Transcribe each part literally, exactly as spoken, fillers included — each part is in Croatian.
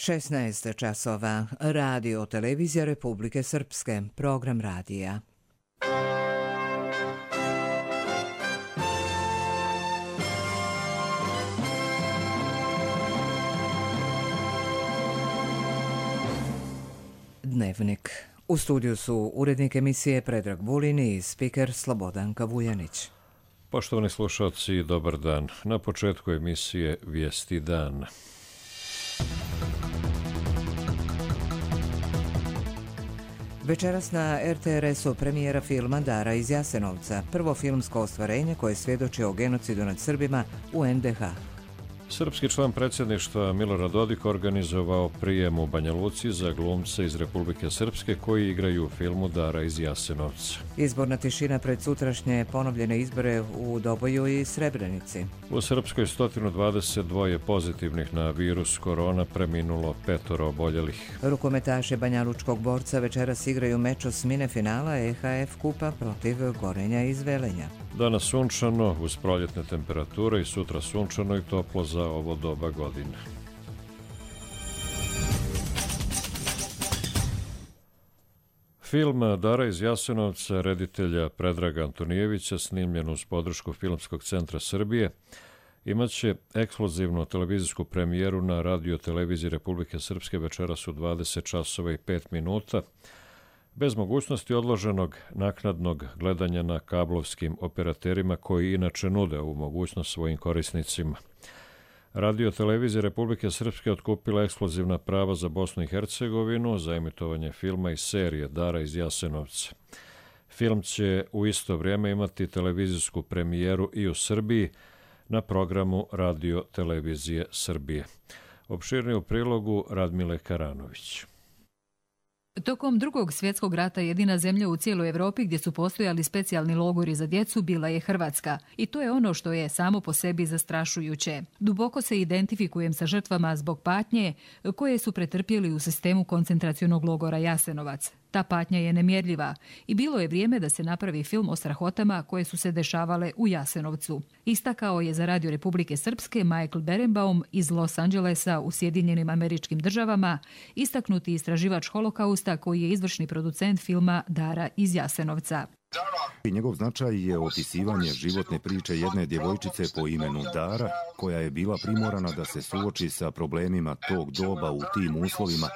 šesnaest časova. Radio Televizija Republike Srpske. Program radija. Dnevnik. U studiju su urednik emisije Predrag Vulin i spiker Slobodanka Vujanić. Poštovani slušalci, dobar dan. Na početku emisije Vijesti dan. Večeras na er te er esu premijera filma Dara iz Jasenovca, prvo filmsko ostvarenje koje svjedoči o genocidu nad Srbima u en de ha. Srpski član predsjedništva Milorad Dodik organizovao prijem u Banja Luci za glumce iz Republike Srpske koji igraju u filmu Dara iz Jasenovca. Izborna tišina pred sutrašnje ponovljene izbore u Doboju i Srebrenici. U Srpskoj sto dvadeset dva pozitivnih na virus korona, preminulo petoro oboljelih. Rukometaši banjalučkog borca večeras igraju meč osmine finala e ha ef kupa protiv Gorenja iz Velenja. Danas sunčano, uz proljetne temperature i sutra sunčano i toplo za ovo doba godine. Film Dara iz Jasenovca reditelja Predraga Antonijevića, snimljen uz podršku Filmskog centra Srbije, imaće ekskluzivnu televizijsku premijeru na Radio Televiziji Republike Srpske večeras u dvadeset časova i pet minuta, bez mogućnosti odloženog naknadnog gledanja na kablovskim operaterima koji inače nude ovu mogućnost svojim korisnicima. Radio Televizija Republike Srpske otkupila ekskluzivna prava za Bosnu i Hercegovinu za emitovanje filma i serije Dara iz Jasenovca. Film će u isto vrijeme imati televizijsku premijeru i u Srbiji na programu Radio Televizije Srbije. Opširnije u prilogu Radmile Karanović. Tokom drugog svjetskog rata jedina zemlja u cijeloj Europi gdje su postojali specijalni logori za djecu bila je Hrvatska. I to je ono što je samo po sebi zastrašujuće. Duboko se identifikujem sa žrtvama zbog patnje koje su pretrpjeli u sistemu koncentracionog logora Jasenovac. Ta patnja je nemjerljiva i bilo je vrijeme da se napravi film o strahotama koje su se dešavale u Jasenovcu. Istakao je za Radio Republike Srpske Michael Berenbaum iz Los Angelesa u Sjedinjenim Američkim Državama, istaknuti istraživač holokausta koji je izvršni producent filma Dara iz Jasenovca. Njegov značaj je opisivanje životne priče jedne djevojčice po imenu Dara, koja je bila primorana da se suoči sa problemima tog doba u tim uslovima,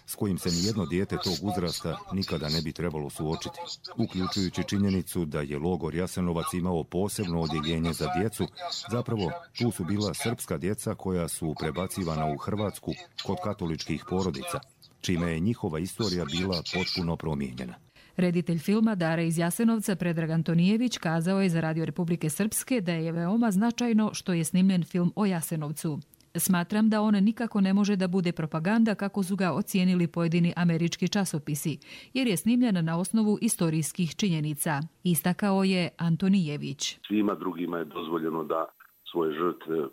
s kojim se nijedno dijete tog uzrasta nikada ne bi trebalo suočiti. Uključujući činjenicu da je logor Jasenovac imao posebno odjeljenje za djecu, zapravo tu su bila srpska djeca koja su prebacivana u Hrvatsku kod katoličkih porodica, čime je njihova istorija bila potpuno promijenjena. Reditelj filma Dara iz Jasenovca Predrag Antonijević kazao je za Radio Republike Srpske da je veoma značajno što je snimljen film o Jasenovcu. Smatram da on nikako ne može da bude propaganda kako su ga ocijenili pojedini američki časopisi, jer je snimljen na osnovu istorijskih činjenica, istakao je Antonijević. Svima drugima je dozvoljeno da svoje žrtve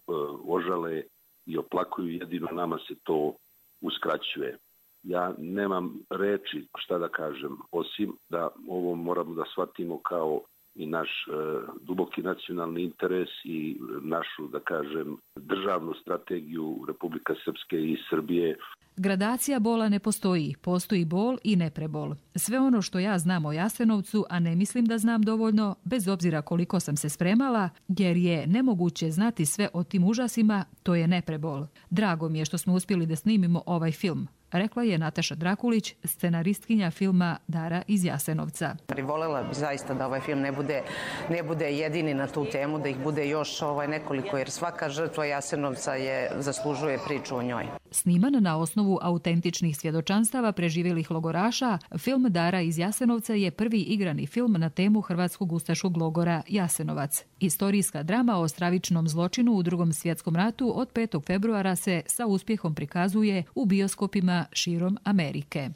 ožale i oplakuju, jedino nama se to uskraćuje. Ja nemam reči šta da kažem, osim da ovo moramo da shvatimo kao i naš e, duboki nacionalni interes i našu, da kažem, državnu strategiju Republika Srpske i Srbije. Gradacija bola ne postoji, postoji bol i neprebol. Sve ono što ja znam o Jasenovcu, a ne mislim da znam dovoljno, bez obzira koliko sam se spremala, jer je nemoguće znati sve o tim užasima, to je neprebol. Drago mi je što smo uspjeli da snimimo ovaj film, rekla je Nataša Drakulić, scenaristkinja filma Dara iz Jasenovca. Volela bi zaista da ovaj film ne bude, ne bude jedini na tu temu, da ih bude još ovaj nekoliko, jer svaka žrtva Jasenovca je, zaslužuje priču o njoj. Sniman na osnovu autentičnih svjedočanstava preživjelih logoraša, film Dara iz Jasenovca je prvi igrani film na temu hrvatskog ustaškog logora Jasenovac. Istorijska drama o stravičnom zločinu u Drugom svjetskom ratu od petog februara se sa uspjehom prikazuje u bioskopima širom Amerike.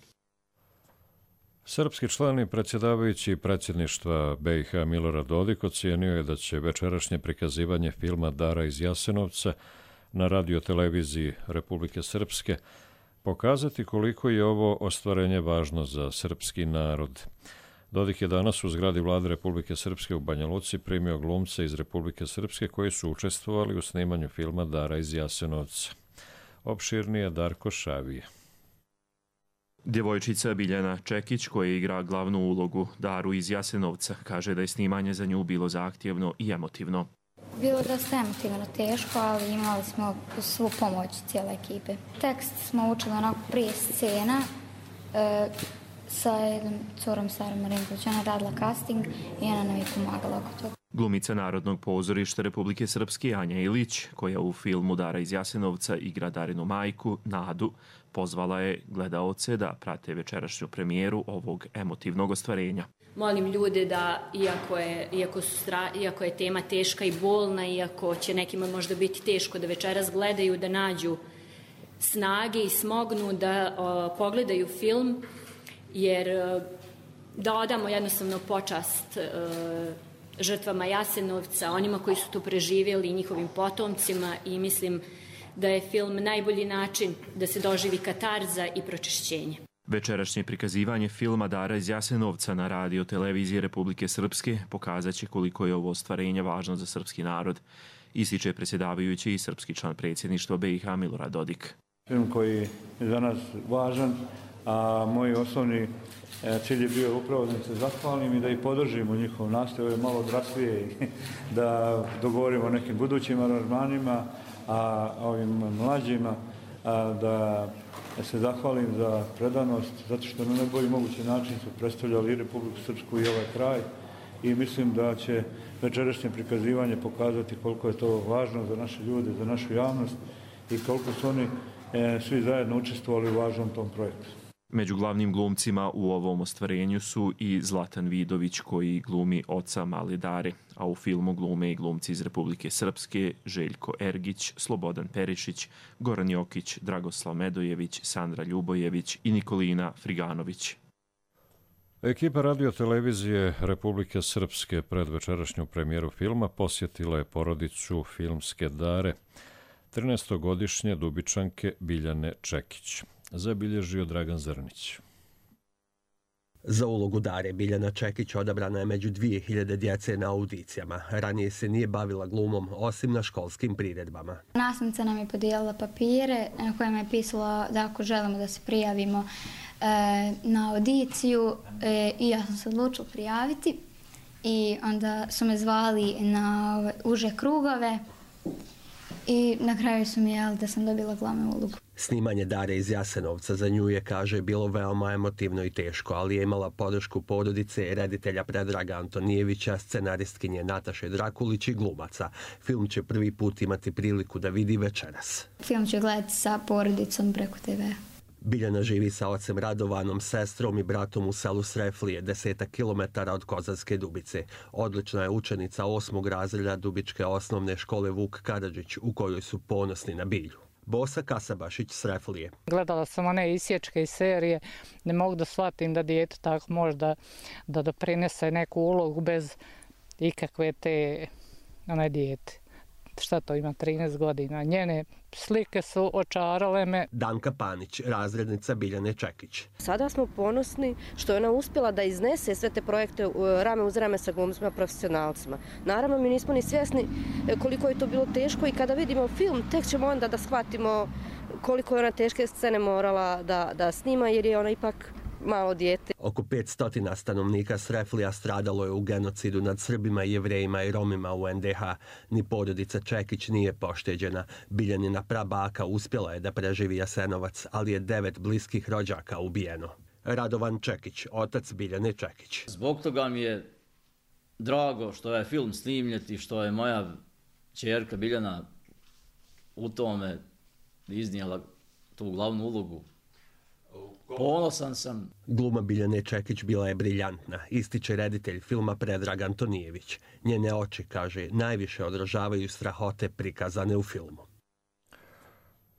Srpski član i predsjedavajući predsjedništva be i ha Milorad Dodik ocijenio je da će večerašnje prikazivanje filma Dara iz Jasenovca na Radio Televiziji Republike Srpske pokazati koliko je ovo ostvarenje važno za srpski narod. Dodik je danas u zgradi Vlade Republike Srpske u Banja Luci primio glumce iz Republike Srpske koji su učestvovali u snimanju filma Dara iz Jasenovca. Opširnije Darko Šavije. Djevojčica Biljana Čekić, koja igra glavnu ulogu Daru iz Jasenovca, kaže da je snimanje za nju bilo zahtjevno i emotivno. Bilo da ste emotivno teško, ali imali smo svu pomoć cijele ekipe. Tekst smo učili onako prije scena e, sa jednom curom Sarom Marinković. Ona radila casting i ona nam je pomagala oko toga. Glumica Narodnog pozorišta Republike Srpske Anja Ilić, koja u filmu Dara iz Jasenovca igra Darinu majku, Nadu, pozvala je gledaoce da prate večerašnju premijeru ovog emotivnog ostvarenja. Molim ljude da, iako je, iako, su stra, iako je tema teška i bolna, iako će nekima možda biti teško da večeras gledaju, da nađu snage i smognu da o, pogledaju film, jer da odamo jednostavno počast o, žrtvama Jasenovca, onima koji su to preživjeli i njihovim potomcima, i mislim da je film najbolji način da se doživi katarza i pročišćenje. Večerašnje prikazivanje filma Dara iz Jasenovca na radio televiziji Republike Srpske pokazat će koliko je ovo ostvarenje važno za srpski narod, ističe predsjedavajući i srpski član predsjedništva B i H Milorad Dodik. Film koji je za nas važan, a moj osnovni cilj je bio upravo da se zahvalim i da ih podržimo njihov nastav, ovo je malo odraslije, da dogovorimo o nekim budućim aranžmanima, a ovim mlađima a, da se zahvalim za predanost, zato što na najbolji mogući način su predstavljali i Republiku Srpsku i ovaj kraj, i mislim da će večerašnje prikazivanje pokazati koliko je to važno za naše ljude, za našu javnost i koliko su oni e, svi zajedno učestvovali u važnom tom projektu. Među glavnim glumcima u ovom ostvarenju su i Zlatan Vidović, koji glumi oca male Dare, a u filmu glume i glumci iz Republike Srpske Željko Ergić, Slobodan Perišić, Goran Jokić, Dragoslav Medojević, Sandra Ljubojević i Nikolina Friganović. Ekipa radiotelevizije Republike Srpske pred večerašnju premijeru filma posjetila je porodicu filmske Dare, trinaestogodišnje Dubičanke Biljane Čekić. Zabilježio Dragan Zrnić. Za ulogu Dare Biljana Čekić odabrana je među dvije hiljade djece na audicijama. Ranije se nije bavila glumom, osim na školskim priredbama. Nastavnica nam je podijelila papire na kojima je pisalo da ako želimo da se prijavimo e, na audiciju, e, i ja sam se odlučila prijaviti, i onda su me zvali na ove, uže krugove i na kraju su mi jeli da sam dobila glavnu ulogu. Snimanje Dare iz Jasenovca za nju je, kaže, bilo veoma emotivno i teško, ali je imala podršku porodice, reditelja Predraga Antonijevića, scenaristkinje Nataše Drakulić i glumaca. Film će prvi put imati priliku da vidi večeras. Film ću gledati sa porodicom preko te ve. Biljana živi sa ocem Radovanom, sestrom i bratom u selu Sreflije, desetak kilometara od Kozarske Dubice. Odlična je učenica osmog razreda Dubičke osnovne škole Vuk Karadžić, u kojoj su ponosni na Bilju. Bosa Kasabašić, Sreflije. Gledala sam one isječke iz serije, ne mogu da shvatim da dijete tako može da, da doprinese neku ulogu bez ikakve te one dijete. Šta to ima, trinaest godina. Njene slike su očarale me. Danka Panić, razrednica Biljane Čekić. Sada smo ponosni što je ona uspjela da iznese sve te projekte rame uz rame sa glumcima profesionalcima. Naravno, mi nismo ni svjesni koliko je to bilo teško, i kada vidimo film, tek ćemo onda da shvatimo koliko je ona teške scene morala da, da snima, jer je ona ipak malo dijete. Oko petsto stanovnika Sreflija stradalo je u genocidu nad Srbima, Jevrejima i Romima u en de ha. Ni porodica Čekić nije pošteđena. Biljanina prabaka uspjela je da preživi Jasenovac, ali je devet bliskih rođaka ubijeno. Radovan Čekić, otac Biljane Čekić. Zbog toga mi je drago što je film snimljen i što je moja ćerka Biljana u tome iznijela tu glavnu ulogu. Ponosan sam. Gluma Biljane Čekić bila je briljantna, ističe reditelj filma Predrag Antonijević. Njene oči, kaže, najviše odražavaju strahote prikazane u filmu.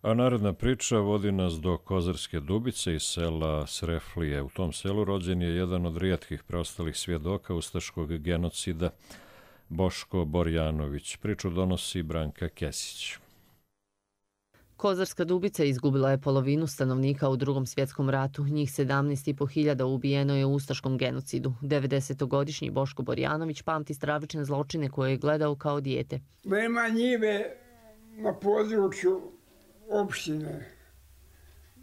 A naredna priča vodi nas do Kozarske Dubice iz sela Sreflije. U tom selu rođen je jedan od rijetkih preostalih svjedoka ustaškog genocida, Boško Borjanović. Priču donosi Branka Kesić. Kozarska Dubica izgubila je polovinu stanovnika u Drugom svjetskom ratu. Njih sedamnaest i po hiljada ubijeno je u ustaškom genocidu. devedesetogodišnji Boško Borjanović pamti stravične zločine koje je gledao kao dijete. Nema njive na području opštine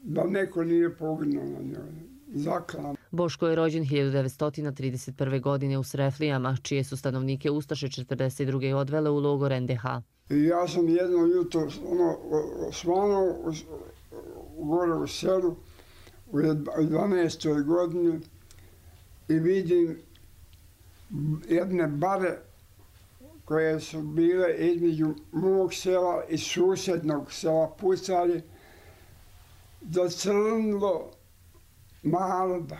da neko nije poginuo na njoj. Zaklan. Boško je rođen hiljadu devetsto trideset prve. godine u Sreflijama, čije su stanovnike Ustaše četrdeset druge odvele u logor en de ha. I ja sam jedno jutro ono, svanuo gore u selu u dvanaestoj godini i vidim jedne bare koje su bile između mog sela i susjednog sela pucali zacrnilo naroda.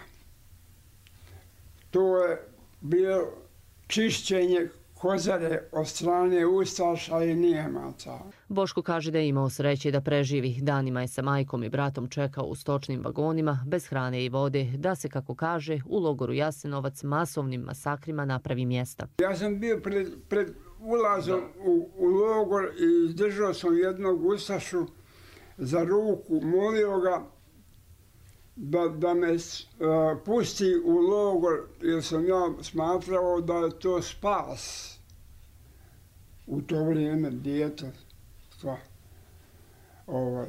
To je bilo čišćenje Kozare od strane Ustaša i Nijemaca. Boško kaže da je imao sreće da preživi. Danima je sa majkom i bratom čekao u stočnim vagonima, bez hrane i vode, da se, kako kaže, u logoru Jasenovac masovnim masakrima napravi mjesta. Ja sam bio pred, pred ulazom u, u logor i izdržao sam jednog Ustašu za ruku, molio ga da, da me uh, pusti u logor, jer sam ja smatrao da je to spas. U to vrijeme dijete. Ovaj.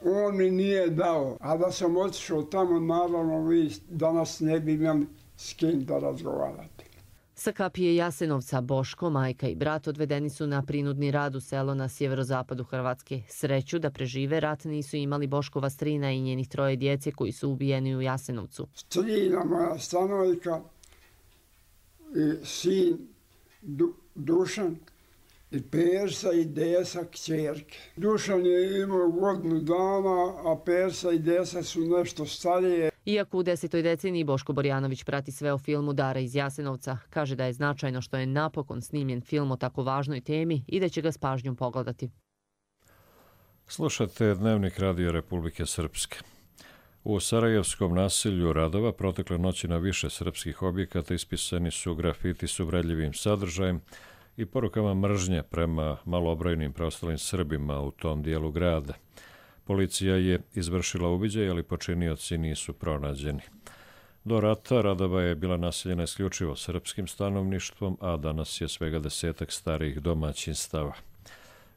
On mi nije dao, a da sam otišao tamo, naravno vi danas ne bi imali s kim da razgovarati. Sa kapije Jasenovca Boško, majka i brat odvedeni su na prinudni rad u selo na sjeverozapadu Hrvatske. Sreću da prežive rat nisu imali Boškova strina i njenih troje djece koji su ubijeni u Jasenovcu. Strina moja stanovika i sin du, Dušan i Persa i Desa kćerke. Dušan je imao godinu dana, a Persa i Desa su nešto starije. Iako u desetoj deceniji Boško Borjanović prati sve o filmu Dara iz Jasenovca, kaže da je značajno što je napokon snimljen film o tako važnoj temi i da će ga s pažnjom pogledati. Slušate Dnevnik Radio Republike Srpske. U sarajevskom naselju Radova protekle noći na više srpskih objekata ispisani su grafiti s uvredljivim sadržajem i porukama mržnje prema malobrojnim preostalim Srbima u tom dijelu grada. Policija je izvršila uviđaj, ali počinioci nisu pronađeni. Do rata Radova je bila naseljena isključivo srpskim stanovništvom, a danas je svega desetak starijih domaćinstava.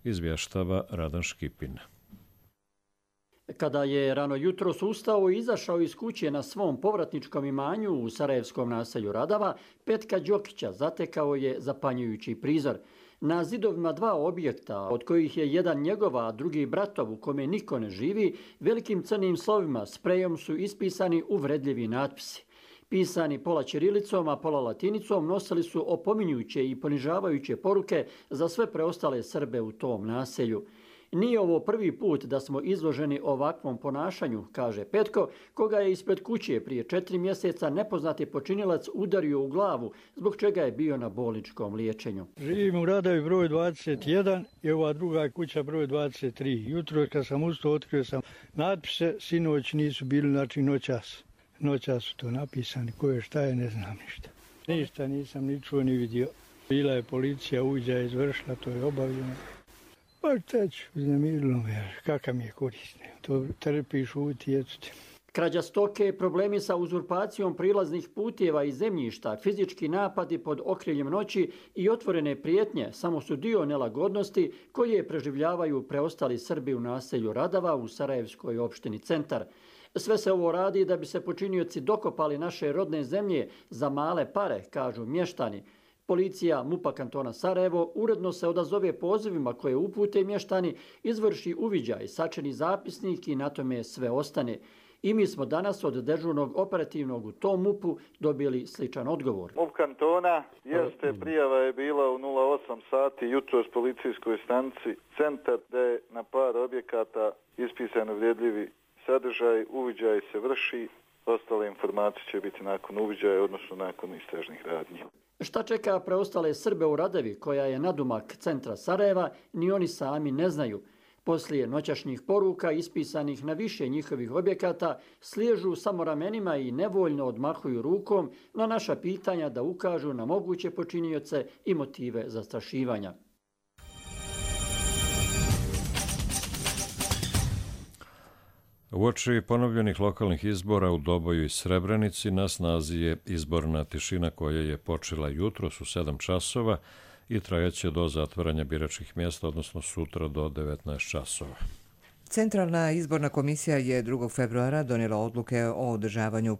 Izvještava Radan Škipin. Kada je rano jutros ustao i izašao iz kuće na svom povratničkom imanju u sarajevskom naselju Radava, Petka Đokića zatekao je zapanjujući prizor. Na zidovima dva objekta, od kojih je jedan njegova, a drugi bratov u kome niko ne živi, velikim crnim slovima sprejom su ispisani uvredljivi natpisi. Pisani pola ćirilicom, a pola latinicom, nosili su opominjuće i ponižavajuće poruke za sve preostale Srbe u tom naselju. Nije ovo prvi put da smo izloženi ovakvom ponašanju, kaže Petko, koga je ispred kuće prije četiri mjeseca nepoznati počinilac udario u glavu, zbog čega je bio na bolničkom liječenju. Živim u Radovi broj dvadeset jedan i ova druga kuća broj dvadeset tri. Jutro kad sam ustao, otkrio sam natpise, sinoć nisu bili, znači noćas. Noćas su to napisani, ko je šta je, ne znam ništa. Ništa nisam ni čuo ni vidio. Bila je policija, uviđaj izvršila, to je obavljeno. Pa šta ću, uznemirilo me, kakav mi je korisno. To trpiš, uti, eto. Krađa stoke, problemi sa uzurpacijom prilaznih putjeva i zemljišta, fizički napadi pod okriljem noći i otvorene prijetnje samo su dio nelagodnosti koje preživljavaju preostali Srbi u naselju Radava u Sarajevskoj opštini Centar. Sve se ovo radi da bi se počinioci dokopali naše rodne zemlje za male pare, kažu mještani. Policija MUP-a kantona Sarajevo uredno se odazove pozivima koje upute mještani, izvrši uviđaj, sačini zapisnik i na tome sve ostane. I mi smo danas od dežurnog operativnog u tom MUP-u dobili sličan odgovor. MUP kantona, jeste, prijava je bila u nula osam sati jutros policijskoj stanici Centar, da je na par objekata ispisano vrijedljivi sadržaj, uviđaj se vrši, ostale informacije će biti nakon uviđaja, odnosno nakon istražnih radnji. Šta čeka preostale Srbe u Radevi, koja je nadumak centra Sarajeva, ni oni sami ne znaju. Poslije noćašnjih poruka ispisanih na više njihovih objekata sliježu samo ramenima i nevoljno odmahuju rukom na naša pitanja da ukažu na moguće počinioce i motive zastrašivanja. Uoči ponovljenih lokalnih izbora u Doboju i Srebrenici na snazi je izborna tišina koja je počela jutros u sedam časova i trajaće do zatvaranja biračkih mjesta, odnosno sutra do devetnaest časova. Centralna izborna komisija je drugog februara donijela odluke o održavanju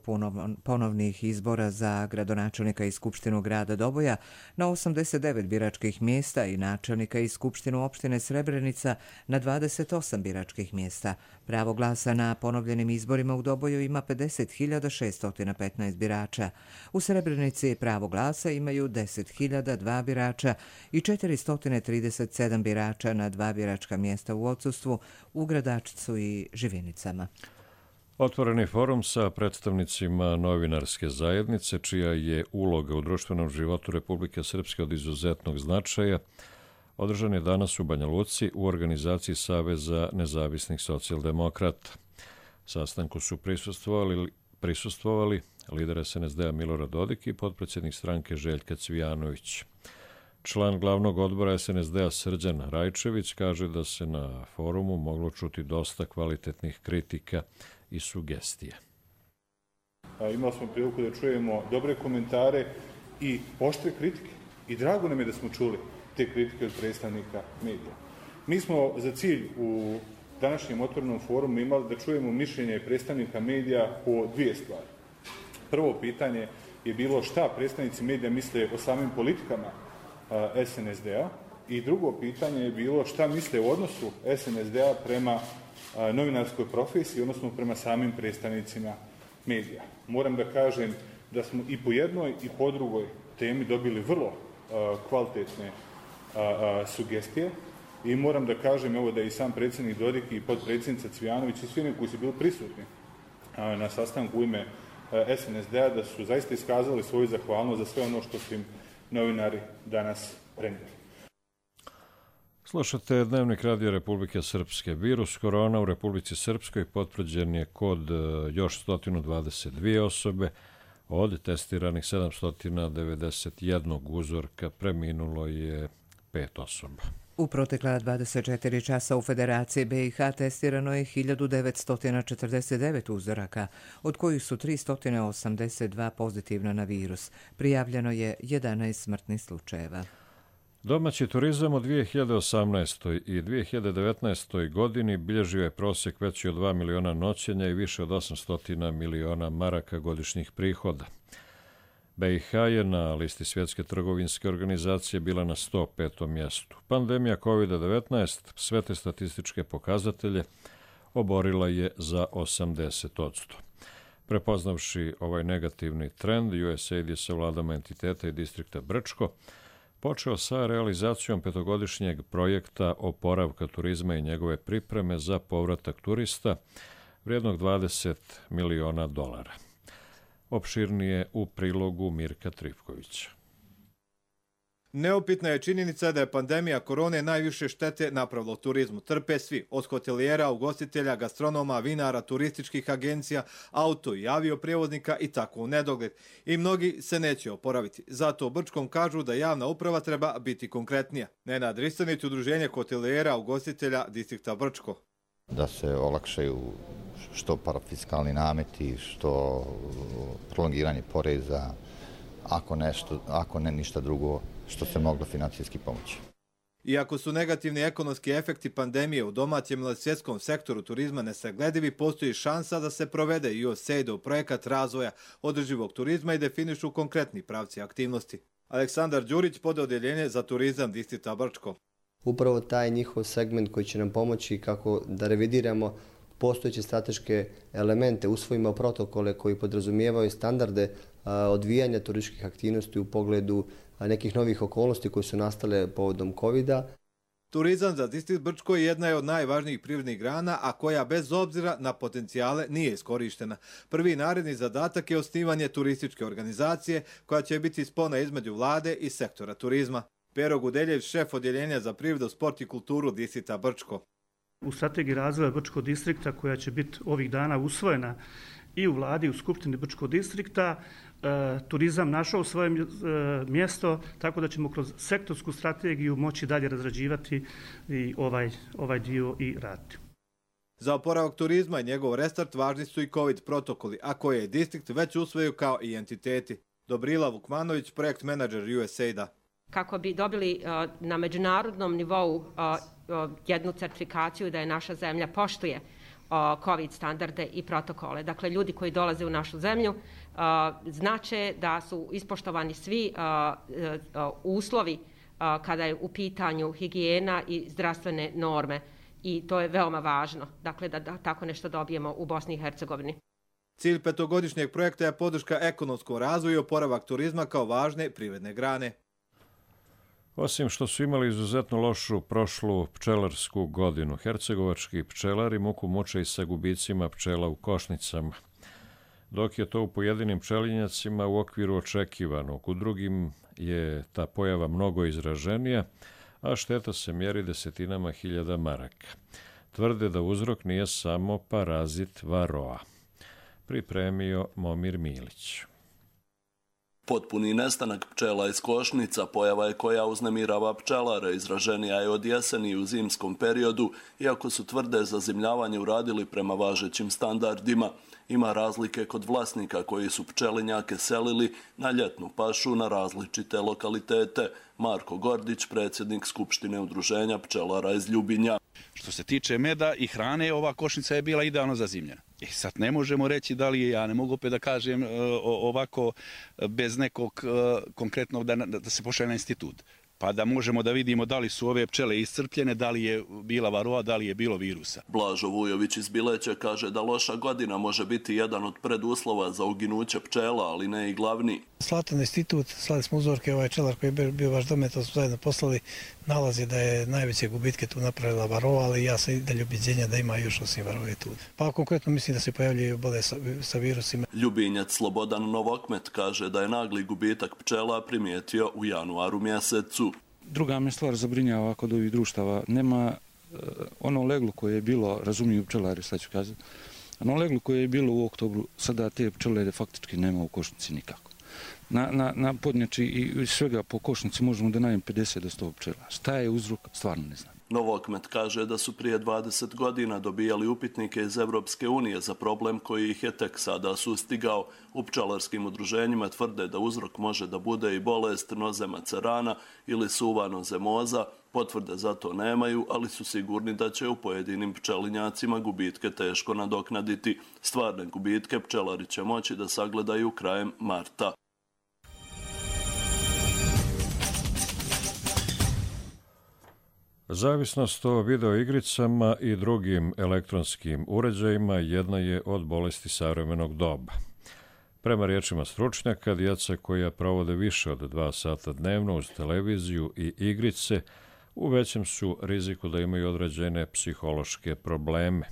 ponovnih izbora za gradonačelnika i skupštinu grada Doboja na osamdeset devet biračkih mjesta i načelnika i skupštinu opštine Srebrenica na dvadeset osam biračkih mjesta. Pravo glasa na ponovljenim izborima u Doboju ima pedeset hiljada šeststo petnaest birača. U Srebrenici pravo glasa imaju deset hiljada dva birača i četiristo trideset sedam birača na dva biračka mjesta u odsustvu u Gradačcu i Živinicama. Otvoreni forum sa predstavnicima novinarske zajednice, čija je uloga u društvenom životu Republike Srpske od izuzetnog značaja, održan je danas u Banja Luci u organizaciji Saveza nezavisnih socijaldemokrata. Sastanku su prisustvovali, prisustvovali lider es en es de a Milorad Dodik i potpredsjednik stranke Željka Cvijanović. Član glavnog odbora es en es de a Srđan Rajčević kaže da se na forumu moglo čuti dosta kvalitetnih kritika i sugestija. Imali smo priliku da čujemo dobre komentare i oštre kritike. I drago nam je da smo čuli te kritike od predstavnika medija. Mi smo za cilj u današnjem otvorenom forumu imali da čujemo mišljenje predstavnika medija o dvije stvari. Prvo pitanje je bilo šta predstavnici medija misle o samim politikama es en es de a i drugo pitanje je bilo šta misle o odnosu es en es de a prema novinarskoj profesiji, odnosno prema samim predstavnicima medija. Moram da kažem da smo i po jednoj i po drugoj temi dobili vrlo kvalitetne sugestije i moram da kažem evo da je i sam predsjednik Dodik i potpredsjednica Cvijanović i svi oni koji su bili prisutni na sastanku u ime es en es de a da su zaista iskazali svoju zahvalnost za sve ono što su im novinari danas prenijeli. Slušate Dnevnik radija Republike Srpske. Virus korona u Republici Srpskoj potvrđen je kod još sto dvadeset dvije osobe. Od testiranih sedamsto devedeset jedan uzorka preminulo je pet osoba. U protekla dvadeset četiri časa u Federaciji be i ha testirano je hiljadu devetsto četrdeset devet uzoraka, od kojih su tristo osamdeset dva pozitivna na virus. Prijavljeno je jedanaest smrtnih slučajeva. Domaći turizam u dvije hiljade osamnaestoj i dvije hiljade devetnaestoj godini bilježio je prosjek veći od dva miliona noćenja i više od osamsto miliona maraka godišnjih prihoda. be i ha je na listi Svjetske trgovinske organizacije bila na sto petom mjestu. Pandemija kovid devetnaest sve te statističke pokazatelje oborila je za osamdeset posto. Prepoznavši ovaj negativni trend, u es a i de je sa vladama entiteta i distrikta Brčko počeo sa realizacijom petogodišnjeg projekta oporavka turizma i njegove pripreme za povratak turista vrijednog dvadeset miliona dolara. Opširnije u prilogu Mirka Trivkovića. Neupitna je činjenica da je pandemija korone najviše štete napravila u turizmu. Trpe svi, od hotelijera, ugostitelja, gastronoma, vinara, turističkih agencija, auto i avioprijevoznika i tako u nedogled. I mnogi se neće oporaviti. Zato u Brčkom kažu da javna uprava treba biti konkretnija. Nenad Ristanić, udruženje hotelijera, ugostitelja distrikta Brčko. Da se olakšaju što parafiskalni nameti, što prolongiranje poreza, ako, nešto, ako ne ništa drugo što se moglo financijski pomoći. Iako su negativni ekonomski efekti pandemije u domaćem ili svjetskom sektoru turizma nesagledivi, postoji šansa da se provede u es a i de u projekat razvoja održivog turizma i definišu konkretni pravci aktivnosti. Aleksandar Đurić, pododeljenje za turizam distrikta Brčko. Upravo taj njihov segment koji će nam pomoći kako da revidiramo postojeće strateške elemente, usvojimo protokole koji podrazumijevaju standarde odvijanja turističkih aktivnosti u pogledu nekih novih okolnosti koje su nastale povodom kovida. Turizam za distrikt Brčko jedna je od najvažnijih privrednih grana, a koja bez obzira na potencijale nije iskorištena. Prvi naredni zadatak je osnivanje turističke organizacije koja će biti spona između vlade i sektora turizma. Pero Gudeljević, šef odjeljenja za privredu, sport i kulturu distrikta Brčko. U strategiji razvoja Brčkog distrikta koja će biti ovih dana usvojena i u vladi i u skupštini Brčkog distrikta, e, turizam našao svoje e, mjesto, tako da ćemo kroz sektorsku strategiju moći dalje razrađivati i ovaj, ovaj dio i raditi. Za oporavak turizma i njegov restart važni su i COVID protokoli, a koje je distrikt već usvojio kao i entiteti. Dobrila Vukmanović, projekt menadžer u es a i de a. kako bi dobili na međunarodnom nivou jednu certifikaciju da je naša zemlja poštuje COVID standarde i protokole. Dakle, ljudi koji dolaze u našu zemlju znače da su ispoštovani svi uslovi kada je u pitanju higijena i zdravstvene norme i to je veoma važno, dakle da, da tako nešto dobijemo u Bosni i Hercegovini. Cilj petogodišnjeg projekta je podrška ekonomskom razvoju i oporavak turizma kao važne privredne grane. Osim što su imali izuzetno lošu prošlu pčelarsku godinu, hercegovački pčelari muku muče i sa gubicima pčela u košnicama. Dok je to u pojedinim pčelinjacima u okviru očekivanog, u drugim je ta pojava mnogo izraženija, a šteta se mjeri desetinama hiljada maraka. Tvrde da uzrok nije samo parazit varoa. Pripremio Momir Milić. Potpuni nestanak pčela iz košnica pojava je koja uznemirava pčelare, izraženija je od jeseni u zimskom periodu, iako su tvrde zazimljavanje uradili prema važećim standardima. Ima razlike kod vlasnika koji su pčelinjake selili na ljetnu pašu na različite lokalitete. Marko Gordić, predsjednik Skupštine udruženja pčelara iz Ljubinja. Što se tiče meda i hrane, ova košnica je bila idealno zazimljena. I sad ne možemo reći da li je, ja ne mogu opet da kažem ovako bez nekog konkretnog da, da se pošalje na institut. Pa da možemo da vidimo da li su ove pčele iscrpljene, da li je bila varoa, da li je bilo virusa. Blažo Vujović iz Bileća kaže da loša godina može biti jedan od preduslova za uginuće pčela, ali ne i glavni. Slatan institut, slali smo uzorke, ovaj pčelar koji je bio baš dome, to smo zajedno poslali, nalazi da je najveće gubitke tu napravila varoa, ali ja sam i dalje ubeđenja da ima još osim varoje tu. Pa konkretno mislim da se pojavljaju bole sa, sa virusima. Ljubinjac Slobodan Novokmet kaže da je nagli gubitak pčela primijetio u januaru mjesecu. Druga me stvar zabrinjava kod ovih društava. Nema uh, ono leglo koje je bilo, razumiju pčelari, sad ću kazati, ono leglo koje je bilo u oktobru, sada te pčele faktički nema u košnici nikako. Na, na, na podnjači i svega po košnici možemo da najem pedeset do sto pčela. Šta je uzrok, stvarno ne znam. Novokmet kaže da su prije dvadeset godina dobijali upitnike iz Evropske unije za problem koji ih je tek sada sustigao. U pčelarskim udruženjima tvrde da uzrok može da bude i bolest nozema cerana ili suva nozemoza. Potvrde za to nemaju, ali su sigurni da će u pojedinim pčelinjacima gubitke teško nadoknaditi. Stvarne gubitke pčelari će moći da sagledaju krajem marta. Zavisnost o videoigricama i drugim elektronskim uređajima jedna je od bolesti savremenog doba. Prema riječima stručnjaka, djeca koja provode više od dva sata dnevno uz televiziju i igrice u većem su riziku da imaju određene psihološke probleme.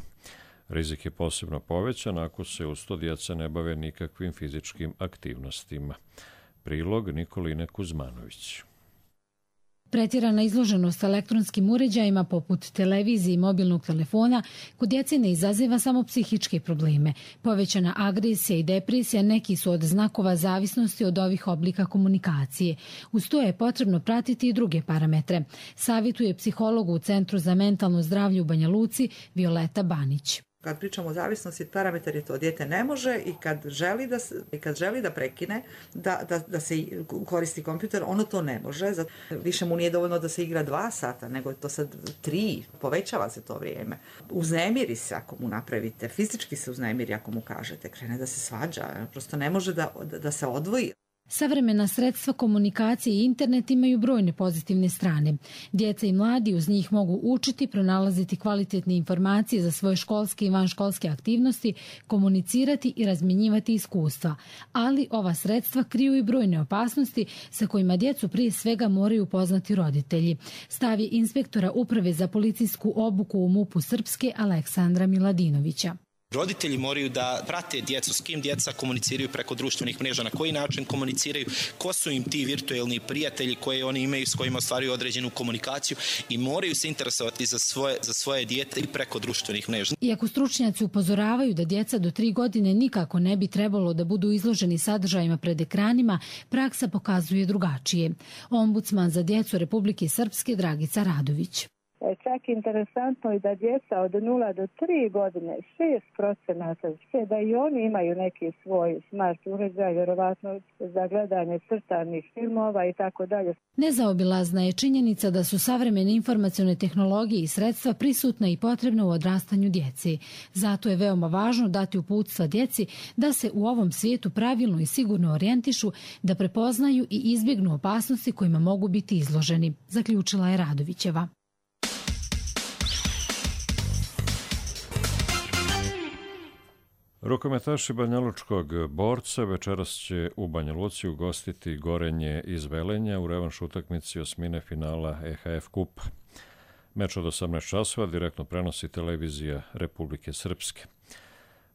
Rizik je posebno povećan ako se uz to djeca ne bave nikakvim fizičkim aktivnostima. Prilog Nikoline Kuzmanović. Pretjerana izloženost elektronskim uređajima poput televizije i mobilnog telefona kod djece ne izaziva samo psihičke probleme. Povećana agresija i depresija neki su od znakova zavisnosti od ovih oblika komunikacije. Uz to je potrebno pratiti i druge parametre. Savjetuje psiholog u Centru za mentalno zdravlje u Banja Luci Violeta Banić. Kad pričamo o zavisnosti, parametar je to dijete ne može i kad želi da, i kad želi da prekine, da, da, da se koristi kompjuter, ono to ne može. Zato više mu nije dovoljno da se igra dva sata, nego je to sad tri, povećava se to vrijeme. Uznemiri se ako mu napravite, fizički se uznemiri ako mu kažete, krene da se svađa, prosto ne može da, da se odvoji. Savremena sredstva komunikacije i internet imaju brojne pozitivne strane. Djeca i mladi uz njih mogu učiti, pronalaziti kvalitetne informacije za svoje školske i vanškolske aktivnosti, komunicirati i razmjenjivati iskustva. Ali ova sredstva kriju i brojne opasnosti sa kojima djecu prije svega moraju upoznati roditelji. Stav je inspektora Uprave za policijsku obuku u MUP-u Srpske Aleksandra Miladinovića. Roditelji moraju da prate djecu, s kim djeca komuniciraju preko društvenih mreža, na koji način komuniciraju, ko su im ti virtuelni prijatelji koje oni imaju, s kojima ostvaruju određenu komunikaciju i moraju se interesovati za svoje, za svoje dijete i preko društvenih mreža. Iako stručnjaci upozoravaju da djeca do tri godine nikako ne bi trebalo da budu izloženi sadržajima pred ekranima, praksa pokazuje drugačije. Ombudsman za djecu Republike Srpske Dragica Radović. Čak interesantno i da djeca od nula do tri godine, šest procenata, da i oni imaju neki svoj smart uređaj, vjerovatno za gledanje crtanih filmova i tako dalje. Nezaobilazna je činjenica da su savremene informacione tehnologije i sredstva prisutna i potrebna u odrastanju djeci. Zato je veoma važno dati uputstva djeci da se u ovom svijetu pravilno i sigurno orijentišu, da prepoznaju i izbjegnu opasnosti kojima mogu biti izloženi, zaključila je Radovićeva. Rukometaši Banjalučkog Borca večeras će u Banja Luci ugostiti Gorenje iz Velenja u revanš utakmici osmine finala E H F kupa. Meč od osamnaest časova direktno prenosi televizija Republike Srpske.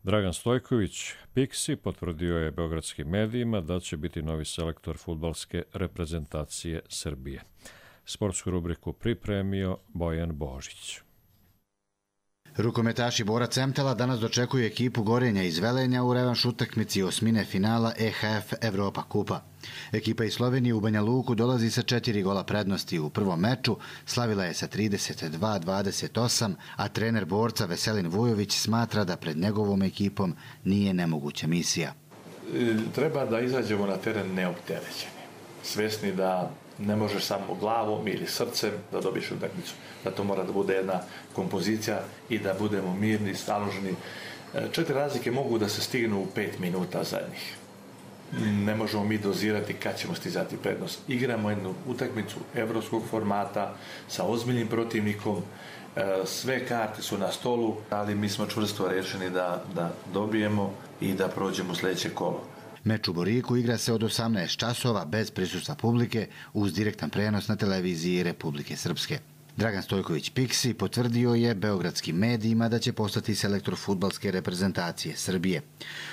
Dragan Stojković, Piksi, potvrdio je beogradskim medijima da će biti novi selektor fudbalske reprezentacije Srbije. Sportsku rubriku pripremio Bojan Božić. Rukometaši Bora Cemtela danas dočekuju ekipu Gorenja iz Velenja u revanš utakmici osmine finala E H F Evropa kupa. Ekipa iz Slovenije u Banja Luku dolazi sa četiri gola prednosti. U prvom meču slavila je sa trideset dva dvadeset osam, a trener Borca Veselin Vujović smatra da pred njegovom ekipom nije nemoguća misija. Treba da izađemo na teren neopterećeni, svesni da ne možeš samo glavom ili srcem da dobiješ utakmicu. Da to mora da bude jedna kompozicija i da budemo mirni, staloženi. Četiri razlike mogu da se stignu u pet minuta zadnjih. Ne možemo mi dozirati kad ćemo stizati prednost. Igramo jednu utakmicu evropskog formata sa ozbiljnim protivnikom. Sve karte su na stolu, ali mi smo čvrsto rešeni da, da dobijemo i da prođemo sljedeće kolo. Meč u Boriku igra se od osamnaest časova bez prisustva publike uz direktan prenos na televiziji Republike Srpske. Dragan Stojković Piksi potvrdio je beogradskim medijima da će postati selektor fudbalske reprezentacije Srbije.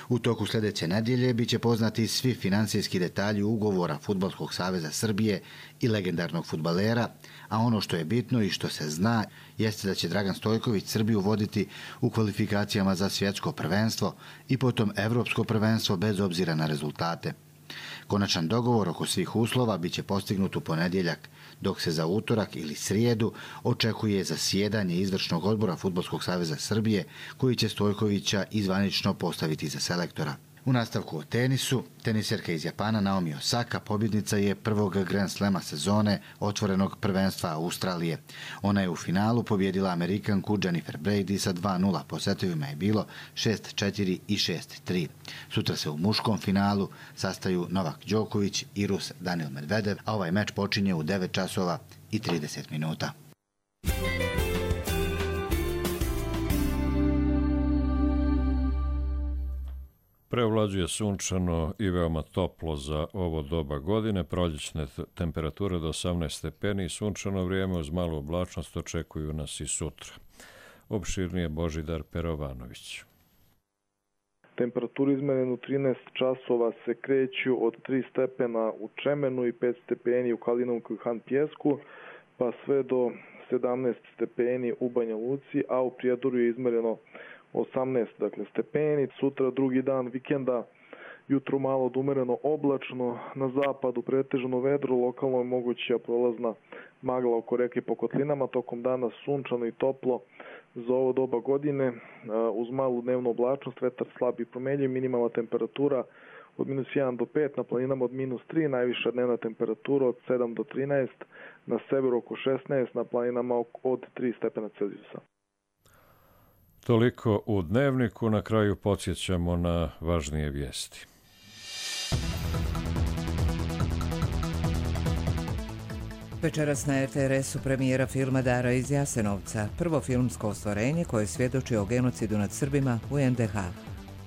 U toku sljedeće nedjelje biće poznati svi finansijski detalji ugovora Fudbalskog saveza Srbije i legendarnog fudbalera, a ono što je bitno i što se zna jeste da će Dragan Stojković Srbiju voditi u kvalifikacijama za svjetsko prvenstvo i potom evropsko prvenstvo bez obzira na rezultate. Konačan dogovor oko svih uslova biće postignut u ponedjeljak, dok se za utorak ili srijedu očekuje zasjedanje izvršnog odbora Fudbalskog saveza Srbije, koji će Stojkovića izvanično postaviti za selektora. U nastavku o tenisu, teniserka iz Japana Naomi Osaka pobjednica je prvog Grand Slema sezone otvorenog prvenstva Australije. Ona je u finalu pobjedila Amerikanku Jennifer Brady sa dva nula, po setovima je bilo šest četiri i šest tri. Sutra se u muškom finalu sastaju Novak Đoković i Rus Daniil Medvedev, a ovaj meč počinje u devet časova i trideset minuta. Preovlađuje sunčano i veoma toplo za ovo doba godine, proljećne temperature do osamnaest stepeni i sunčano vrijeme uz malu oblačnost očekuju nas i sutra. Opširnije Božidar Perovanović. Temperaturi izmerene u trinaest časova se kreću od tri stepena u Čemenu i pet stepeni u Kalinovku i Han Pjesku, pa sve do sedamnaest stepeni u Banja Luci, a u Prijedoru je izmereno osamnaest dakle, stepeni. Sutra drugi dan vikenda, jutro malo odumereno oblačno, na zapadu pretežno vedro, lokalno je moguća prolazna magla oko reke po kotlinama, tokom dana sunčano i toplo za ovo doba godine, uz malu dnevnu oblačnost, vetar slab i promenljiv, minimalna temperatura od minus jedan do pet, na planinama od minus tri, najviša dnevna temperatura od sedam do trinaest, na severu oko šesnaest, na planinama od tri stepena Celzijusa. Toliko u dnevniku, na kraju podsjećamo na važnije vijesti. Večeras na R T R S-u premijera filma Dara iz Jasenovca, prvo filmsko ostvarenje koje svjedoči o genocidu nad Srbima u N D H.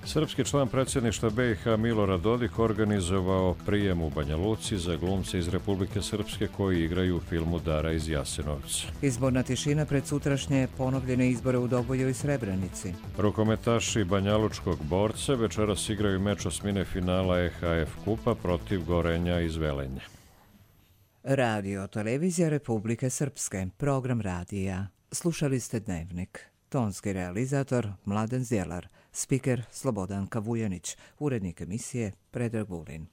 Srpski član predsjedništva B i H Milorad Dodik organizovao prijem u Banja Luci za glumce iz Republike Srpske koji igraju u filmu Dara iz Jasenovca. Izborna tišina pred sutrašnje ponovljene izbore u Doboju i Srebrenici. Rukometaši Banjalučkog Borca večeras igraju meč osmine finala E H F kupa protiv Gorenja iz Velenja. Radio Televizija Republike Srpske, program radija. Slušali ste Dnevnik. Tonski realizator Mladen Zjelar, spiker Slobodanka Vujanić, urednik emisije Predrag Vulin.